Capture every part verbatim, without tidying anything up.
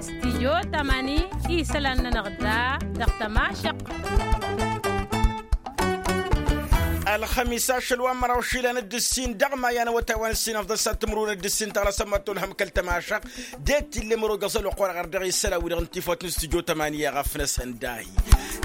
Stijyo tamani isălan-nănăɣ da dăɣ-tămašăq. Ălxămis ašăl wa n-măraw išilan d-ǝssin dăɣ-maya n-awătay wa n-ǝssin afḍăn s-ad-timǝrwen d-ǝssin tăɣlasăm mătto ălhăm kăl-tămašăq. D-e t-illa mărog ăẓăl wa ɣur-aɣăr dăɣ-isălan wi-dăɣ n-tifawt n-stijyo tamani i-aɣăf-năsăn dahi.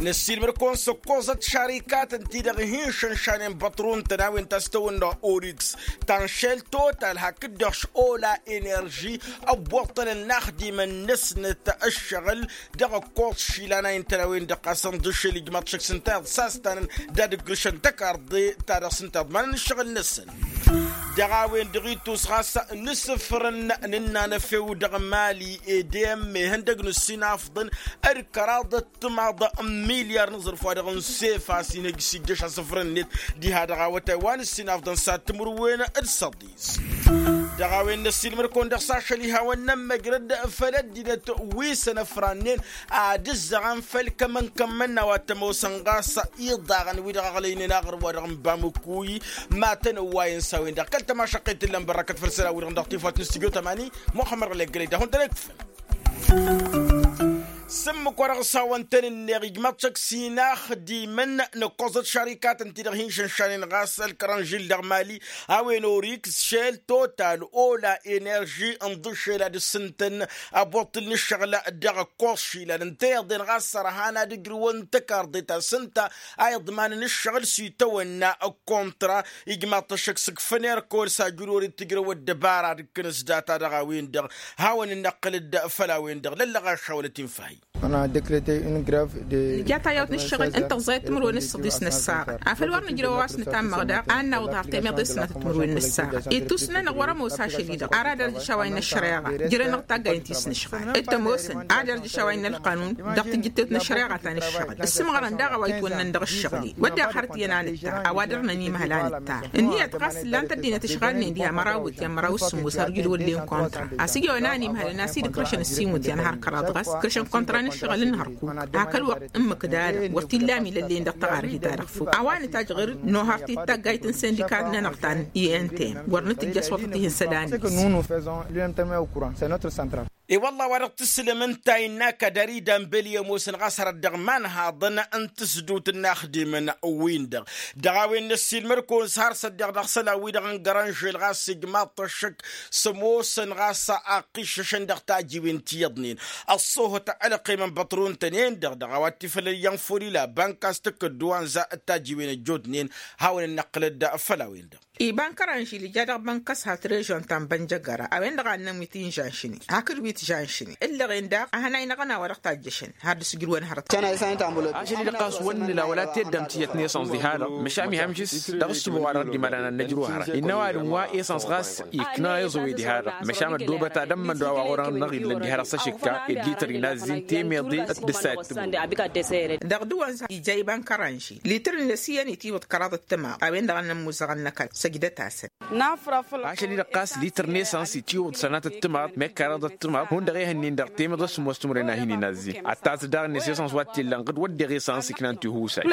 Năssiilmăd-kăwăn s-ǝkkoẓăt šarikatăn-ti-dăɣ hin-šănšanen băṭrun-tăn a-wen ta s-tăwănna oriks ta n-šel total hakd-dăɣ š-ola enerži. Ăbboṭṭălăn inaxdimăn-năsnăt ǝššăɣǝl dăɣ-ǝkkoẓ išilan a intăn a-wen-dăɣ ɣas ǝnḍǝšel ijmaḍ šăkk s-ǝnta iḍsastanăn d-ad-ǝgrǝšăn tăkarḍe-ta-dăɣ s-ǝnta iḍmanăn ǝššăɣǝl-năsăn. Dăɣ-a-wen-dăɣ ittus ɣas n-asǝfrǝn n-ǝnnanăfew dăɣ-mali edem ihăndăg n-ǝssin afḍăn d-kăraḍăt timaḍ n-milyar n-aẓrǝf wa dăɣ-n sefa s-inhǝj s-ijjăš asǝfrǝn-net diha dăɣ-awătay wa n-ǝssin afḍăn s-ad-timǝrwen d-săḍi. Dăɣ-a-wen n-ăssiilmăd-kăwăn dăɣ-s ašăl iha wăr nămmăjrăd făll-ăddinăt wi s-ănăfrannen ad-ǝzzăɣăn făll-kămăn-kămmăn n-a-wa t-ămoosăn ɣas iḍaɣăn wi-dăɣ ăɣlăynen aɣrǝm wa dăɣ-n bamǝkuy. Matăn-ăwwayăn s-a-wen-dăɣ kăl-tămašăqqet t-ǝllan bărrăkăt făll-isălan wi-dăɣ dăɣ-tifawt n-studyo tămani. Muxămmăd ɣǝlăggălăy d-ahun tăn-ăkfăn. S-ǝmmǝk wa dăɣ-s hawăn-tăn-ǝnneɣ ijmaḍ-t šăkk s-inaxdimăn n-ǝkkoẓăt šarikatăn-ti-dăɣ hin-šănšanen ɣas ălkăranžil dăɣ-mali a-wen oriks šel total ola enerži ǝnḍǝšel ad-ǝssǝntăn ăboṭṭǝl n-ǝššăɣǝl dăɣ-ǝkkoẓ išilan ǝnta i-iḍen ɣas sărhan ad-ǝjrǝwăn tăkarḍe ta s-ǝnta a iḍmanăn ǝššăɣǝl s-itawănna ăkkontra. Ijmaḍ-t ăššăk s-ǝkfăn erkol s-ajǝl wăr-dd-tǝjrăw ăddăbara d-ǝkkǝnǝs data dăɣ-a-wen-dăɣ. Hawăn-ǝnnaqqǝlăd făll-a-wen-dăɣ lăllăɣ ašawălăt infahi. Nǝja tayyawt n-ǝššăɣǝl n-tăẓẓayăt timǝrwen s-săḍis n-ăssaɣăt afăl wăr nǝjrăw a-wa s-nǝtammăɣ daɣ a n-nawăḍ har temeḍe s-sănatăt timǝrwen n-ăssaɣăt ittus-nănăɣ wăr-ămoos ašăl-i-dăɣ ara dăr-dd-išaway n-ăššăreɣa. Jărăn-năɣ taggayăn ti s-nǝšɣal d-tămoosăn a dăr-dd-išaway n-ălqanun dăɣ-tijǝttet n-ăššăreɣa ta n-ǝššăɣǝl. Ǝssǝmɣărăn daɣ a-wa itwănnăn dăɣ-ǝššăɣǝl-i wădden xărăt iyyăn a nǝtta a-wa dăr-năn imhăl a nǝtta. Ǝnniyăt ɣas ǝllan-t ăddinăt ǝšɣalnen diha măraw iwǝtyan măraw s-sǝmmos har ǝjǝl wăllen kontra. A-s ǝjawăn a n-imhălăn a-s dd-ǝkrăšăn ǝssin iwǝtyan har kăraḍ ɣas ǝkrăšăn kontra n-ǝššăɣǝl n-hărkuk. Hakd-wăr ǝmmǝk d-alăm wăr t-illa milăllen dăɣ-taɣarhi-ta-dăɣ făw a-wa nǝtajj ɣǝr-dd nohăr-t-dd taggayt n-sindika-nănăɣ ta n-i n t m wăr nǝtǝjj a-s wăḍăt ihǝnsăd-anăɣ. E-wălla a-wa dăɣ-tǝslǝm ǝnta innă kăd-ăridăn băli ămoosăn ɣas hărăt dăɣ-iman haḍăn n-tǝsdut n-inaxdimăn-win-dăɣ. Dăɣ-a-wen n-ăssiilmăd-kăwăn s-har s-ăddeɣ dăɣ-isălan wi-dăɣ n-gărănžel ɣas ijmaḍ-t ăššăk s-ămoosăn ɣas ăqqiššăšăn dăɣ-tajiwen ti iyyăḍnen. Ăṣṣoohăt ălqim n-băṭrun-tăn-en-dăɣ dăɣ-a-wa t-ifălăl iyyăn folila bank a-s tǝkkǝddu wa n-za d-tajiwen ăjjootnen. Hawăn-dd-năqqǝlăd făll-a-wen-dăɣ. Iba n-kăranžil ija dăɣ-bănkăs hat režion ta n-bănjăgăra a-wen-dăɣ a ǝnnăn wi t-inžanšnen hakd wi t-žanšnen ǝllăɣen daɣ a hănay n-aɣăna wa dăɣ-tajjăšăn. Har d-asǝjrǝwăn hărăt. Ašăl-i-dăɣ ɣas wăr nǝla wăla teddam tiyyăt n-esănẓ diha-dăɣ măšan ihămžǝs dăɣ-ǝssǝbo wa dăɣ-dd-imalan ad-nǝjrǝw hărăt innă ăwadǝm wa esănẓ ɣas ikna iẓǝwe diha-dăɣ. Măšan ăddoobăt ad-ămmăn d-wa wa ɣur-năɣ illăn diha-dăɣ s-ašǝkka d-lităr inazzin temeḍe d-ǝssayăt. Dăɣ-dăɣ-s ija iba n-kăranžil lităr-net iyyăn itiwǝḍ kăraḍ d-timaḍ a-wen-dăɣ a n-ămmuzăɣăn n-ăkall. Săjdăt-asăn. Ašăl-i-dăɣ ɣas lităr n-esăns itiwǝḍ sănatăt timaḍ mekk kăraḍăt timaḍ hundăɣ ehăn-in-dăɣ temeḍe s-sǝmmos timǝrwen a hin-inazzin. Ad-tazǝd daɣ-net esăns wa t-illa ǝnɣǝd wădden esăns iknan tihusay.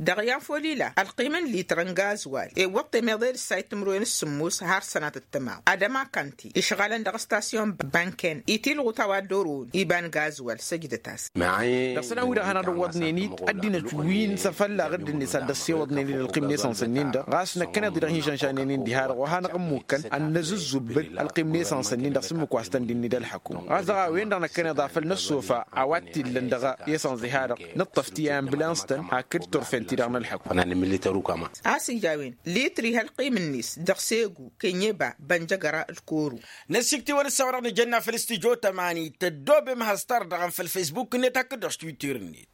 Dăɣ-i a folila ălqim n-lităr n-gazwal iwwăḍ temeḍe d-ǝssayăt timǝrwen s-sǝmmos har sănatăt timaḍ ad-ămakan-t-i išɣalăn dăɣ-stasyon bănken itilɣut a-wa dd-orăwăn iba n-gazwal săjdăt-as. Dăɣ-isălan-wi-dăɣ hanăɣ-dd-ăwwăḍnen-dd ăddinăt wi n-săfălla ɣǝddǝn-net ad-dd-ăssewăḍnen-dd ălqim n-esănsăn-in-dăɣ ɣas năkkăneḍ-i-dăɣ hin-šănšannen-in diha-dăɣ wa hanăɣ-ǝmmukăn ad-năzǝzzubǝl ălqim n-esănsăn-in-dăɣ s-ǝmmǝk wa s-tăn-dd-inned ălḥăkum. Ɣas dăɣ-a-wen-dăɣ năkkăneḍ afăl năssofa a-wa t-illăn dăɣ-esăns diha-dăɣ nǝṭṭăf ti ambulans-tăn hakd turfen-ti-dăɣ n-ălḥăkum. A-s ija a-wen litri hălqim-net dăɣ-segu kenyeba bănjăgăra d-koru. Năsiktǝwăn ǝssa wa dăɣ-nǝjănna făll-studyo tămani tăddoobem has-tardăɣăn făll-facebook-net hakd dăɣ-s twitter-net.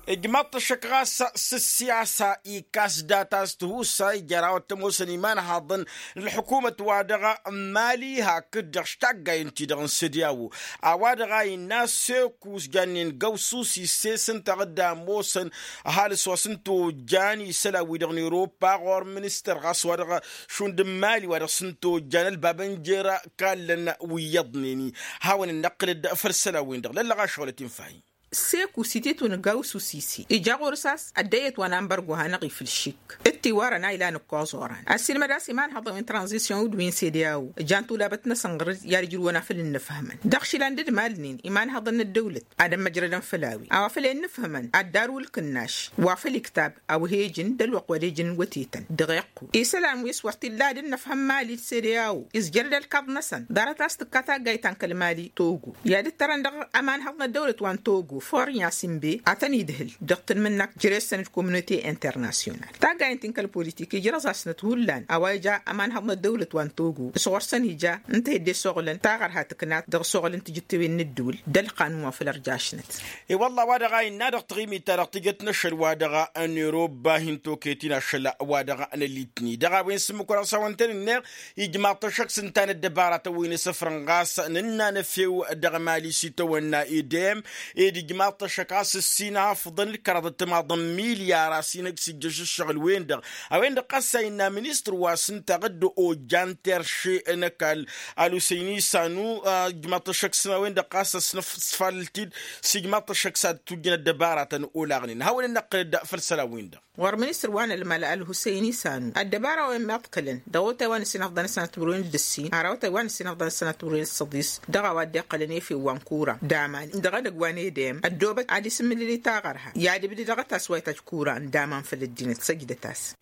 Ijmaḍ-t ăššăk ɣas s-ǝssiyasa ikas data s-tihusay jer-a-wa t-ămoosăn imanhaḍăn n-ălḥukumăt-wa-dăɣ n-mali hakd dăɣ-s taggayen-ti-dăɣ n-sădiyawo. A-wa-dăɣ a innă s-ekus jannen găwsus isses ǝnta a dd-ămoosăn ăhalǝs wa s-ǝnta ojjan isălan-wi-dăɣ n-europa ɣur-ministăr ɣas wa dăɣ-šund n-mali wa dăɣ-s ǝnta ojjan ălbab n-jer-kallăn wi iyyăḍnen-i. Hawăn-dd-năqqǝlăd făll-isălan-win-dăɣ lăllăɣ ašăɣǝlăt infahi. Seku site tunǝgga usǝsisi ija ɣur-s a-s ăddăyyăt wa n-anbărgo hanăɣ-ifǝl šik. Ǝttiwarăn a ilan ǝkkoẓ oran ăssiilmăd a-s imanhăḍăn wi n-tranzisyon-wi d-wi n-sedeyawo ǝjan tulabăt-năsăn ɣur-s i-ad-ǝjrǝwăn afăl ǝnnǝfhǝmăn dăɣ-išilan d-ǝdmalnen imanhăḍăn n-ăddăwlăt ad-ămmăjrădăn făll-a-wen a-wa făl e ǝnnǝfhǝmăn ad-dd-arǝw ǝlkǝnnaš wa făl iktab a-wa he-ǝjǝn d-ălwăqq wa d-e-ijǝn wătetăn dăɣ-iqqu isălan wi s-wăr t-illa ad-ǝnnăfhăm mali d-sedeyawo izjăr-dd ălkaḍ-năsăn ḍarăt a-s tǝkka taggayt ta n-kăl-mali togo i-ad-ǝttărăn dăɣ-ămanhăḍ n-ăddăwlăt wa n-togo fornya simbe ad-tăn-idhǝl dăɣ-tǝnmǝnnakt jere-săn d-komunote internasyonal taggayt n-ti n-kăl-politik ijrăẓ-asnăt hullan a-wa ija ămanhăḍ n-ăddăwlăt wa n-togo s-ɣur-săn ija ǝnta hedde soɣlăn taɣărha tǝknat dăɣ-soɣlăn tijǝttewen n-ǝddǝwǝl d-ălqanun wa făl ărjašnăt. I-wălla wa dăɣ-a innă dăɣ-taɣimit-ta-dăɣ tǝjăt n-ašăl wa dăɣ-năroba hin-toket-in ašăl wa dăɣ-nălitni dăɣ-a-wen s-ǝmmǝk wăr-ăsawăn-tăn-innă. Ijmaḍ-t ăššăk s-ǝnta n-ăddăbaratăn wi n-asǝfrăn ɣas nǝnna n-efew dăɣ-mali s-itawănna edem ed ijmaḍ-t ăššăk ɣas ǝssin afǝḍăn d-kăraḍăt timaḍ n-milyar a-s inăj s-ijjăš ǝššăɣǝl-wen-dăɣ a-wen-dăɣ ɣas a innă ministăr wa s-ǝnta ɣǝdda ojan terše n-ăkall alhusăyni sanu. Ijmaḍ-t ăššăk s-a-wen-dăɣ ɣas ăsnăfsfalăl-t-dd s-ijmaḍ-t ăššăk s-ad-tujjăn ăddăbaratăn olaɣnen hawăn-dd-năqqǝl dd-făll-isălan-win-dăɣ. Wăr ministăr wa n-ălmăla ălhusăyni sanu ăddăbara wa immăḍkălăn dăɣ-awătay wa n-ǝssin afḍăn ăssanăt timǝrwen d-ǝssin har awătay wa n-ǝssin afḍăn ăssanăt timǝrwen d-săḍis dăɣ-a-wa dd-iqqălăn efew wa n-kura d-aman dăɣ-edăgg wa n-edem ăddoobăt ad-isǝmmǝlǝli taɣărha i-ad-ǝbdǝd dăɣ-ătas wa itajj kura n-daman făll-ăddinăt săjdăt-as.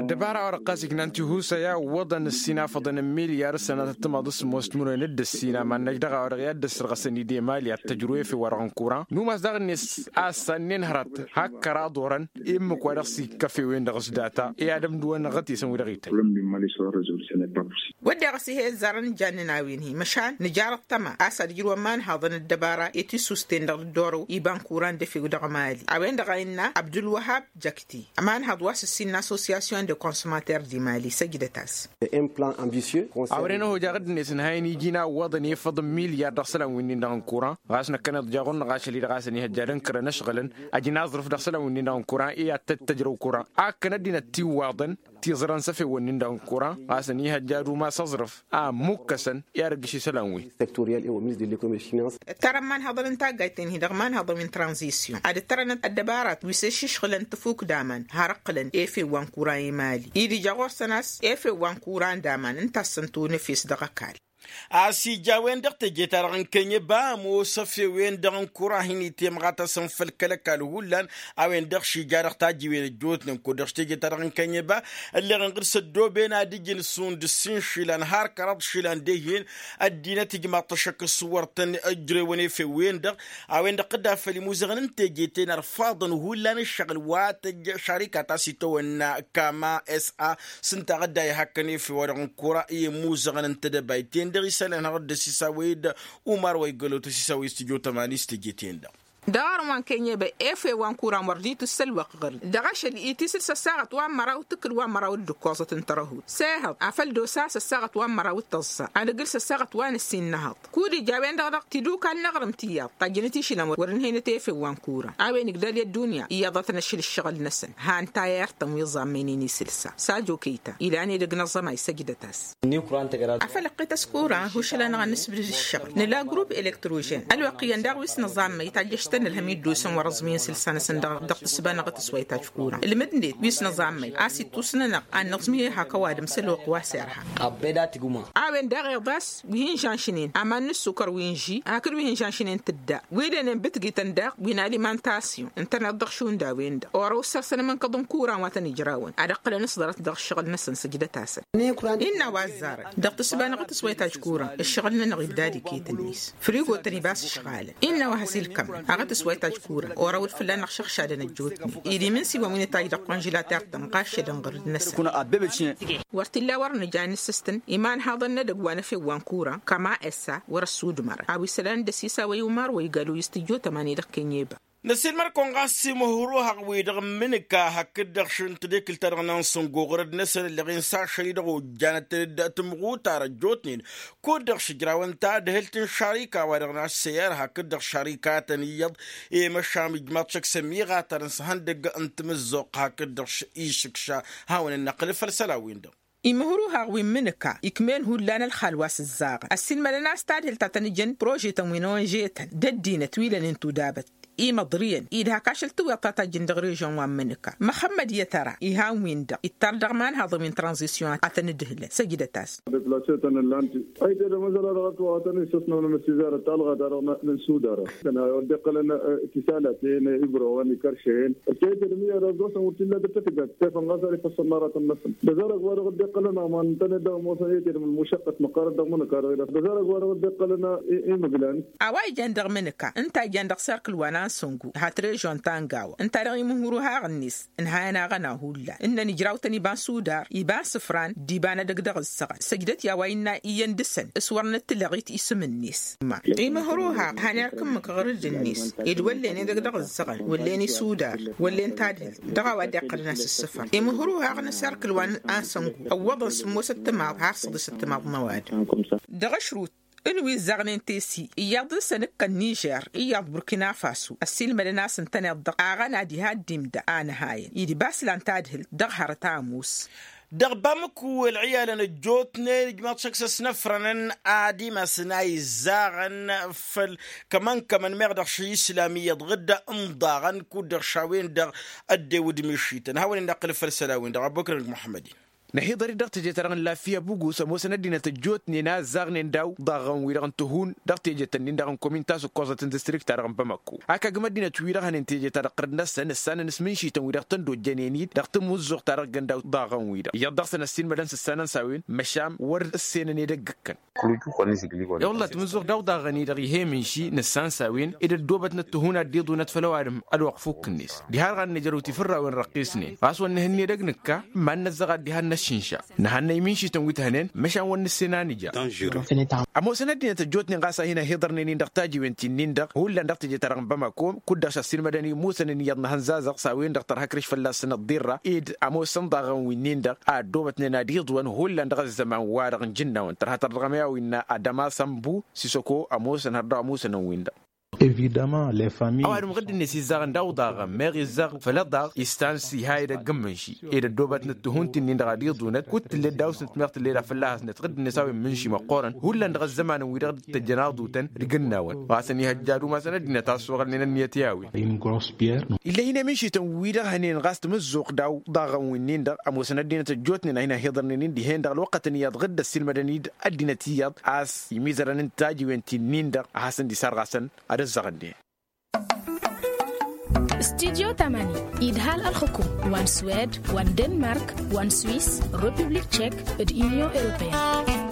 Ăddăbara-wa-dăɣ ɣas ijnan tihusăy a ǝwwăḍăn ǝssin afăḍăn n-milyar s-sănatăt timaḍ s-sămoos timǝrwen d-ǝssin aman-năj dăɣ-a-wa-dăɣ i-ad-dd-ăssărɣăsăn idem ali ad-tăjru efew wa dăɣ-n kura n-umas daɣ-net a-s sannen hărăt hak kăraḍ orăn i-ǝmmǝk wa dăɣ-s ikka efew-en-dăɣ s-data i-ad-ămdǝwăn ăɣăt-isăn wi-dăɣ ităjj. Wădden ɣas ih'-e ăzzarăn ǝjannăn a-wen-hi măšan nǝjar ăṭṭăma a-s ad-ǝjrǝwăn imanhaḍăn ăddăbara i-tisusten-dăɣ dd-orăw iba n-kura n-dăfew dăɣ-mali a-wen-dăɣ a innă abdulwăhab jăkti ămanhaḍ wa s-ǝssin n-associasyon de consommater di mali săjdăt-as. Awren ăhojăɣ dd-net ǝnhayăn iji n-a ǝwwăḍăn efăḍ n-milyar dăɣ-isălan winnin-dăɣ n-kura ɣas năkkăneḍ jaɣ-unăɣ ašăl-i-dăɣ a-s ăniihăjja d-ǝnkărăn ǝšɣǝlăn ăjnaẓrǝf dăɣ-isălan winnin-dăɣ n-kura i-ad-tăt-tăjrăw kura a ǝkkăn ăddinăt tiwwaḍăn tiẓrăn s-efewăn-nin-dăɣ n-kura ɣas ăniihăjja d-umas aẓrǝf a ămmukkăsăn i-ad-ăggǝš isălan-wi. Ǝttarăn imanhaḍăn n-taggayt-ten-hi dăɣ-imanhaḍăn wi n-tranzisyon ad-ǝttărănăt ăddăbarat wi s-ăššǝšɣǝlăn tăfuk d-aman har ǝqqǝlăn efew wa n-kura i-mali-i d-ija ɣur-săn a-s efew wa n-kura n-daman ǝnta a-s săn-tăwăn efes dăɣ-ăkall. A-s ija a-wen-dăɣ teje-ta-dăɣ n-kănyăba ămoos efew-en-dăɣ n-kura a hin-itemɣa tasăn făll-kăl-ăkall hullan a-wen-dăɣ šija dăɣ-tajǝwen ăjjootnen kud-dăɣ teje-ta-dăɣ n-kănyăba ălleɣ-in ɣǝr-s ăddooben ad-ǝjǝn šund ǝssin išilan har kăraḍ išilan d-ehhen ăddinăt ijmaḍ-t ăššăk s-wăr tăn-ǝjrewăn efew-en-dăɣ. A-wen-dăɣ dd-afăl imuzăɣăn n-teje-ten ărfaḍăn hullan ǝššăɣǝl wa tăjj šarikat a-s itawănna kama s-a s-ǝnta a dd-a ihakkăn efew-wa-dăɣ n-kura i-imuzăɣăn n-tedăbayt-ten-dăɣ isălan har dd-ăsisawăy d-umar wa iggălotăs isawăy s-tijotămani s-teje-ten-dăɣ. Dăɣ-arǝm wa n-kenyebăy efew wa n-kura n-wăr dd-itǝssălwăqq ɣur-i dăɣ-ašăl itisǝl s-ăssaɣăt wa n-măraw tǝkkǝl wa n-măraw d-ǝkkoẓăt n-tărăhut s-ehăḍ afăl d-osa s-ăssaɣăt wa n-măraw d-tăẓẓa ad-ǝgǝl s-ăssaɣăt wa n-ǝssin n-ehăḍ. Kud-ija a-wen-dăɣ dăɣ-tidukal n-aɣrǝm tiyyăḍ tajjănăt išilăn wăr-ǝnhăynăt efew wa n-kura a-wen igdal i-ăddunya iyyăḍătăn ašăl ǝššăɣǝl-năsăn. Han tayar-tăn wi ẓammăynen isǝlsa sajo kăy-ta ilan edăgg n-aẓămay săjdăt-as. Afăl ăqqităs kura hušǝl-anăɣ ad-nǝsbǝdǝd ǝššăɣǝl nǝla grup elektrožen ălwăqq iyyăn daɣ wi s-nǝẓammăy tajjăš-tăn ǝlhăm i-dd-osăn wăr-ăẓmǝyăn isǝlsa-năsăn dăɣ-tǝssǝba n-aɣǝtǝs wa itajj kura ǝlmǝdnet wi s-nǝẓammăy a-s ittus-nănăɣ ad-nǝẓmǝy ehak ăwadǝm s-ălwăqq wa s-irha. A-wen daɣ iḍas wi hin-žanšnen aman n-ǝssukăr wi n-ži hakd wi hin-žanšnen tǝdda wi d-ănen bǝtgităn daɣ wi n-alimantasyon ǝntăneḍ dăɣ-šund a-wen-dăɣ orăw ǝssărsăn amǝnkăḍ n-kuran wa tăn-ijrawăn ad-ǝqqǝlăn s-ḍarăt dăɣ-ǝššăɣǝl-năsăn săjdăt-asăn. Innă a-wa ăzzarăn dăɣ-tǝssǝba n-aɣǝtǝs wa itajj kuran ǝššăɣǝl-nănăɣ ibdad iket-net frigo-tăn ibas ǝšɣalăn. Innă a-wa has-ilkămăn aɣǝtǝs wa itajj kuran orăw-dd fălla-năɣ šăɣšadăn ăjjootnen ed iminsiwăn wi n-itajj dăɣ-konžǝlater-tăn ɣašădăn ɣǝrǝd-năsăn. Wăr t-illa wăr nǝja ad-nǝssǝstǝn imanhaḍăn n-edăgg wa n-efew wa n-kura kăma essa wăr-ăssudmărăn a-wa isălan dd-ăsisawăy umar wa igalu i-s-tǝjjotămani dăɣ-kănyeba. Năsiilmăr-kăwăn ɣas imǝhruhăɣ-wi-dăɣ n-imǝnǝka hakd-dăɣ šund tadekǝlt-ta-dăɣ n-ansǝngo ɣur-dd-năsăn ălleɣ-in s-ašăl-i-dăɣ ojjanăt-tăn-dd tǝmɣutar ăjjootnen kud-dăɣ šǝjrawăn tadhǝlt n-šarika-wa-dăɣ n-asseyar hakd-dăɣ šarikatăn iyyăḍ. I-măšam ijmaḍ šăkk s-ămiɣatărăn s-ihăndăgg n-timǝzzuɣt hakd-dăɣ išǝkša hawăn-ănnăqqǝl făll-isălan-win-dăɣ. Imǝhruhaɣ wi n-imǝnǝka ikm'-en hullan ălxal wa s-ǝzzaɣăn ăssiilmădăn a-s tadhǝlt ta tăn-ǝjăn prožetăn wi n-onžetăn d-ăddinăt wi lănen tudabăt imăḍriyăn-i d-hak ašăl tǝwweḍt ta tajjǝn dăɣ-režyon wa n-imǝnǝka. Măxămmăd i-tăra ihan-win-dăɣ ittar dăɣ-imanhaḍăn wi n-tranzisyon a tăn-ǝdhǝlăn săjdăt-as. Deplassetăn ǝllan-t. Ăyy tedăm ăzăla dăɣ-ătwăɣătăn isăsnăwăn amăsizarăt ta ălɣada-dăɣ n-sudara. Tăn-a wăr dd-iqqălăn tisalaten ibrăwăn ikăršehen. Ălkăyăt edăm iyyăr ăzosăn wăr t-illa dăr-tătgad tefăn ɣas ar ifăssăn n-aratăn-năsăn dăzarăg wa dăɣ-dd-iqqălăn aman ǝntănet dăɣ-ămoosăn i-tedăm ălmušăqqăt măqqarăt dăɣ-imǝnǝka-dăɣ-i dăɣ-dăzarăg wa dăɣ-dd-iqqălăn. Imǝglan. A-wa ijan dăɣ-imǝnǝka ǝnta a ijan dăɣ-serkǝl wa n-ansăngu hat režon ta n-gawa ǝnta-dăɣ imǝhǝruhaɣ-net ǝnhayăn aɣăna hullan ǝnnăn ijraw-tăn iba n-sudar iba n-sǝfran d-iba n-edăgg dăɣ-ǝssăɣăn săjdăt i-a-wa innă iyyăn dăɣ-săn s-wăr nǝttǝlăɣit isǝm-net. Imǝhruhaɣ han irk ǝmmǝk ɣǝrǝd-net ed wăllen edăgg dăɣ-ǝssăɣăn wăllen isudar wăllen tadhǝlt dăɣ-a-wa dd-iqqălăn asǝssǝfăr imǝhruhaɣ n-asărkǝl wa n-ansăngu ăwwăḍăn sǝmmosăt timaḍ har săḍisăt timaḍ n-ăwadǝm. Dăɣ-ašrut n-wi ǝzzaɣnen tesi iyyăḍ dăɣ-săn ǝkka n-nižer iyyăḍ burkina faso ăssiilmădăn a-s ǝntăneḍ-dăɣ aɣăna diha dd-imda a nǝhayăn idba s-lan tadhǝlt dăɣ-hărăt amus. Dăɣ-bamăku ălɣiyalăn ăjjootnen ijmaḍ šăkk s-ăsnăfrănăn ad-imasăn a izzaɣăn făll-kămăn-kămăn meɣ dăɣ-šăy islam iyyăḍ ɣǝdda n-iḍaɣăn kud-dăɣ šawen-dăɣ ăddew d-mišităn hawăn-in-năqqǝlăf făll-isălan-win-dăɣ ăbokănăg muḥămmăd-in. Năhiḍăr-dd dăɣ-teje-ta-dăɣ n-laffiya bugus ămoosăn ăddinăt ăjjootnen a ǝzzaɣnen daw-daɣăn-wi-dăɣ n-tihun dăɣ-teje-tăn-in-dăɣ n-komin ta s-ǝkkoẓăt n-distrikt-ta-dăɣ n-bamăkko. Hak agǝm ăddinăt-wi-dăɣ hănen teje-ta-dăɣ ɣǝrǝd-năsăn ǝssanăn s-imǝnšităn-wi-dăɣ tăn-dd-ojjănen-dd dăɣ-tamǝzzuɣt-ta-dăɣ ǝggăn daw-daɣăn-wi-dăɣ iyyăḍ dăɣ-săn ăssiilmădăn s-ǝssanăn s-a-wen măšan wăr ǝssenăn edăgg ǝkkăn. I-wălla tamǝzzuɣt daw-daɣăn-i-dăɣ ih'-e imǝnši nǝssan s-a-wen ed ăddoobătnăt tihun ad-dd-iḍunăt făll-ăwadǝm ălwăqq fukk-net. Diha-dăɣ ad-nǝjrăw tifǝrrawen răqqisnen ɣas wăr nǝhǝnne edăgg nǝkka. Iman-năt dăɣ-a dd-iha n-ăššǝnša nǝhannăy imǝnšităn wi t-hănen măšan wăr nǝssen a nǝja. Ămoosăn ăddinăt ăjjootnen ɣas a hin-ăhiḍărnen-in dăɣ-tajiwen ti-nin-dăɣ hullan dăɣ-teje-ta-dăɣ n-bamako kud-dăɣ šăssiilmădăn imusăn ǝnniyăḍ n-ehăn zazăɣ s-a-wen-dăɣ tărha akrǝš fălla-săn ăḍḍirra ed ămoosăn daɣăn wi-nin-dăɣ a ăddoobătnen ad-iḍwăn hullan dăɣ-ăzzăman-wa-dăɣ n-ijǝnnawăn tărha tărdăɣăm i-a-wa innă adăma sănbu sisăko ămoosăn har dăɣ-ămusăn n-win-dăɣ. Ăwadǝm ɣǝdd-net izzaɣăn daw-daɣăn meɣ izzaɣ făll-ăḍaɣ istan s-iha edăgg n-imǝnši ed ăddoobătnăt tihun ti-nin-dăɣ ad-iḍunăt kud tǝllet dawsnăt meɣ tǝllet a fălla-hasnăt ɣǝdd-net a-wen imǝnši măqqoorăn hullan dăɣ-ăzzămanăn-wi-dăɣ dd-tăjjăn aḍutăn dăgg-ǝnnawăn ɣas ănihăjja ad-umasăn ăddinăt a ăssoɣălnen ǝnniyăt i-a-wen. Ill'-e hin-emǝnšităn-wi-dăɣ hănen ɣas tamǝzzuɣt daw-daɣăn wi-nin-dăɣ ămoosăn ăddinăt ăjjootnen a hin-ăhiḍărnen-in dihen-dăɣ ălwăqqătăn iyyăḍ ɣǝdd ăssiilmădăn-dd ăddinăt iyyăḍ a-s imizărăn n-tajiwen ti-nin-dăɣ a hasăn-dd-isarɣasăn ad-ăzzăɣăn dihen. Studyo tamani idhal ălxǝkum wa n-swed wa n-denmark wa n-swis republik tšek d-inyon europeyăn.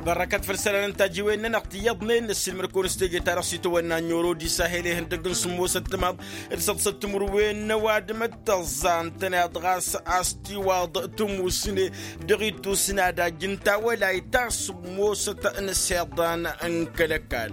Bărrăkăt făll-isălan n-tajiwen-nănăɣ ti iyyăḍnen năssiilmăd-kăwăn s-teje-ta-dăɣ s-itawănna n-euro d-isahel ihăndăgg n-sǝmmosăt timaḍ d-săḍsăt timǝrwen n-ăwadǝm d-tăẓẓa ǝntăneḍ ɣas a-s tiwaḍ tǝmusne dăɣ-ittus n-ad-ajj n-tawălayt ta sǝmmosăt n-iseḍan n-kăl-ăkall.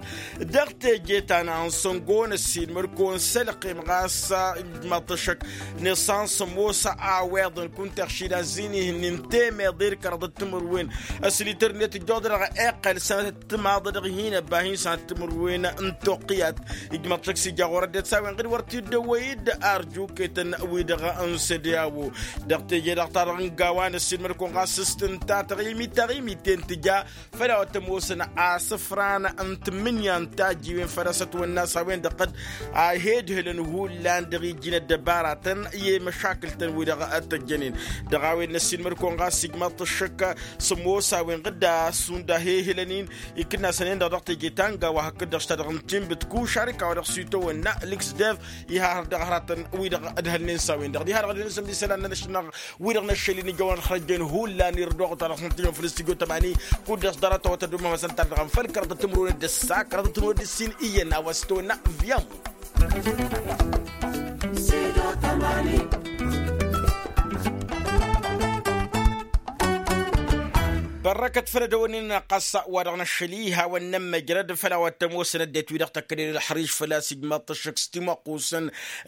Dăɣ-teje ta n-ansăngo năssiilmăd-kăwăn s-ălqim ɣas ijmaḍ-t ăššăk n-iṣan sămosa a-weḍăn kunta iɣšilăn zi n-ihǝnnin temeḍe d-kăraḍăt timǝrwen. Ăslităr-net ǝjjoḍăd dăɣ-eqqăl sănătăt timaḍ dăɣ-hin-ăbba hin-sănăt timǝrwen n-toqqǝyat. Ijmaḍ-t ăššăk s-ija ɣur-ăddinăt s-a-wen ɣǝd wăr t-dd-ăwwăy-dd arjuketăn-wi-dăɣ n-sădeawo. Dăɣ-teje-dăɣ ta dăɣ-n gawa năssiilmăd-kăwăn ɣas s-tǝnta taɣimit taɣimit-en tǝja făll-a-wa t-ămoosăn asǝfran n-tǝmmǝnǝya n-tajiwen făll-a-s ătwănna s-a-wen-dăɣ a he-ǝdhǝlăn hullan dăɣ-iji n-ăddăbaratăn i-măšakǝl-tăn-wi-dăɣ t-ăjjănen. Dăɣ-a-wen năssiilmăd-kăwăn ɣas ijmaḍ-t ăššăk s-ămoos a-wen ɣǝdda šund a he-ǝhǝlăn-in ikǝnnasăn-en-dăɣ dăɣ-teje ta n-gawa hakd-dăɣ s-ta-dăɣ n-tinbǝt kušarika wa dăɣ-s itawănna lǝksdev. Iha har dăɣ-hăratăn-wi-dăɣ ǝdhălnen s-a-wen-dăɣ diha-dăɣ ădhălnen s-ămdisălan-nănăšăl-năɣ wi-dăɣ năššăl-in ijăwăn ălxărăjjen hullan irăd oɣăt-wa-dăɣ s-năttijăn făll-stujo tămani. Kud-dăɣ s-dăr-a tăwăt ădumămăsăn tar-dăɣ ănfăl kăraḍăt timǝrwen d-ǝssa kăraḍăt timǝrwen d-ǝssin iyyăn a-wa s-tăwănna. Vyamu. Răkăt făll-edăwănnen ɣas wa-dăɣ năššăl-i hawăn-nămmăjrăd făll-a-wa t-ămoosăn ăddinăt-wi-dăɣ tăkkănen ălxăriž făl-a-s ijmaḍ-t ăššăk s-timăqqusăn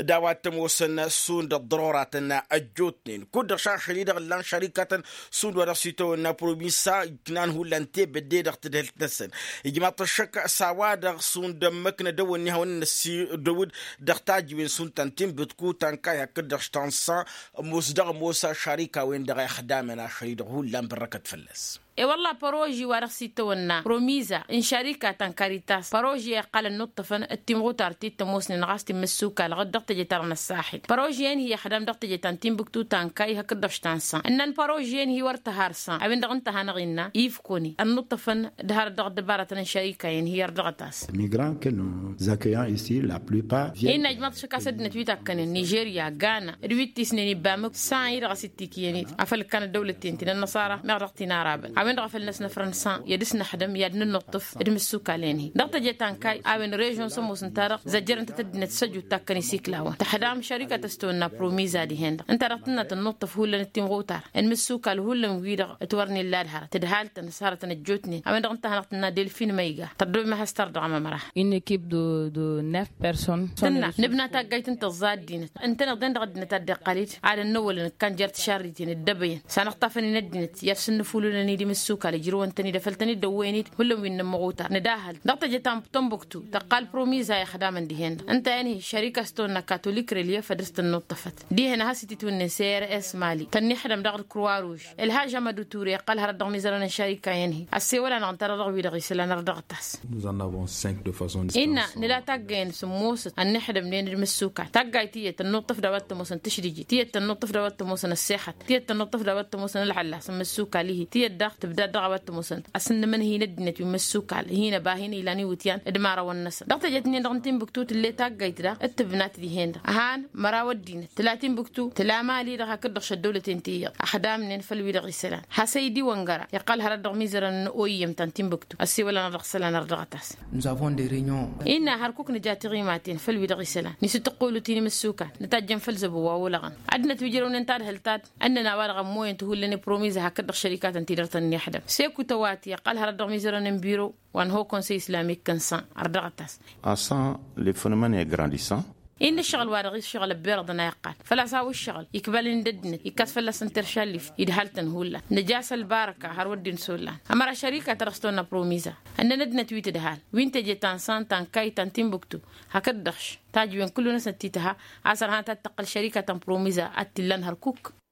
d-a-wa t-ămoosăn šund ăḍḍărora-tăn ăjjootnen kud-dăɣ šašăl-i-dăɣ ǝllan šărikatăn šund wa dăɣ-s itawănna promiza iknan hullan tebădde dăɣ-tadhǝlt-năsăn. Ijmaḍ-t ăššăk s-a-wa-dăɣ šund ămmăknăd ăwănni hawăn-năsidăwǝd dăɣ-tajǝwen šund ta n-tinbǝtku ta n-kayy hakd-dăɣ š-ta n-san ămoos dăɣ-ămoos ašarika-wen-dăɣ a ixdamăn ašăl-i-dăɣ hullan bărrăkăt fălla-s. E-wălla păroži wa dăɣ-s itawănna promiza n-šarika ta n-karitas păroži a iqqăl ănnuṭṭăfăn d-timɣutar ti t-ămoosnen ɣas timmǝssukal ɣǝd dăɣ-teje-ta-dăɣ n-ăssaxil păroži-en-hi ixdam dăɣ-teje ta n-tinbǝktu ta n-kayy hakd-dăɣ š-ta n-san ǝnnăn păroži-en-hi wăr tăhar san a-wen-dăɣ ǝnta a hanăɣ-innă ifkone ănnuṭṭăfăn d-harăt dăɣ-ăddăbarătăn n-šarika-en-hi ardăɣăt-as. Migrant que nous accueillons ici la plupart viennent. Innă ijmaḍ-t šăk a-s ăddinăt wi takkănen nižerya gana d-wi t-isnen ibbamǝk san-i-dăɣ a-s ittikǝyăn-dd afăl ǝkkan ăddăwlăt-ten ti n-ănnăṣara meɣ dăɣ-t-in-arabăn a-wen-dăɣ a făl năsnăfrăn san i-ad-ǝsnăxdăm i-ad-nǝnnuṭṭǝf d-imǝssukal-en-hi dăɣ-teje ta n-kayy a-wen režion s-ămoosăn-ta-dăɣ zăjjărăn-tăt ăddinăt s-ăjut takkăn isiklawăn tăxdam šărikăt a-s tăwănna promiza dihen-dăɣ ǝnta-dăɣ tǝnna tănnuṭṭăf hullan d-timɣutar n-imǝssukal hullan wi-dăɣ ǝtwărnen la d-hărăt d-haltăn s-hărătăn ăjjootnen a-wen-dăɣ ǝnta a hanăɣ-tǝnna delfin măyga tărdăwem a has-tărdăɣăm ămăra. Une équipe de de neuf personnes. Tǝnna nǝbna taggayt n-tăẓẓa ăddinăt ǝntăneḍ-en dăɣ-ăddinăt a dd-iqqăl-dd ad-ănnăwălăn ǝkkan jer-tišarriten dd-ăbăyăn s-anăɣ-tafăn-in ăddinăt i-ad-sǝnnǝfululăn i-dimǝssukal ǝjrǝwăn-tăn-dd afăl tăn-dd-ăwwăyăn-dd hullan wi n-inǝmmăɣutar nǝdahăl dăɣ-teje ta n-tănbuktu tăqqal promiza ixdamăn dihen-dăɣ ǝnta-en-hi šărika s-tăwănna katolik relief ad-dăr-s tănnuṭṭăfăt dihen a has-ititwǝnnen sers mali tănniḥdăm dăɣ-ălkruwa ruž ălhaž amădu ture iqqăl hărăt dăɣ-imizărăn n-šarika-en-hi ăssewăl-anăɣ ǝnta-dăɣ dăɣ-wi-dăɣ isălan ărdăɣăt-as. Nous en avons cinq de façon distincte. Innă nǝla taggăyăn sǝmmosăt ănniḥdăm nen d-imǝssukal taggayt tiyyăt tănnuṭṭăf d-a-wa t-ămoosăn tǝšdǝjǝt tiyyăt tănnuṭṭăf d-a-wa t-ămoosăn ăssexăt tiyyăt tănnuṭṭăf d-a-wa t-ămoosăn ălɣăllas n-imǝssukal-i-hi tiyyăt daɣ tǝbdad dăɣ-a-wa t-ămoosăn asǝnnǝmăn hin-ăddinăt wi n-imǝssukal hin-ăba hin-ilan iwǝtyan d-imarăwăn-năsăn dăɣ-teje-t-nin-dăɣ n-tinbǝktu tǝlle taggayt daɣ d-tǝbnat dihen-dăɣ ăhan măraw ăddinăt tǝla tinbǝktu tǝla mali-dăɣ hakd-dăɣ šăddăwlăten ti iyyăḍ ăxdamnen făll-wi-dăɣ isălan hasăydi wăngăra iqqăl hărăt dăɣ-imizărăn n-oyyăm ta n-tinbǝktu ăssewăl-anăɣ dăɣ-isălan ărdăɣăt-as. Nous avons des réunions. Innă hărkuk nǝja tiɣimaten făll-wi-dăɣ isălan nisǝttăqqulu ti n-imǝssukan nǝtajjăn făll-zăbo wa olăɣăn ăddinăt wi ǝjrăwnen tadhǝlt-ad-ǝnnăn a-wa-dăɣ ămmoyăn tihullen i-promiza hakd-dăɣ šărikatăn ti dăr-tăn-niḥdăm seku tăwati ăqqăl hărăt dăɣ-imizărăn n-biro wa n-ho konsăy islamik n-san ărdăɣăt-as. Asan le phenomène e grandissant. Innă ǝššăɣǝl wa dăɣ-iššăɣǝl ăbberăḍăn a iqqal făl-a-s a-wa ǝššăɣǝl ikbal-in d-ăddinăt ikkas fălla-săn teršallift idhal-tăn hullan nǝja s-ălbarăka har wăr dd-insollan ămăra šărika ta dăɣ-s tăwănna promiza ǝnnăn ăddinăt wi tǝdhal wi n-teje ta n-san ta n-kayy ta n-tinbuktu hakd-dăɣ š-tajǝwen kullu-năsnăt ti tǝha a-s ărhan ta t-tăqqăl šărika ta n-promiza ad-t-illan hărkuk.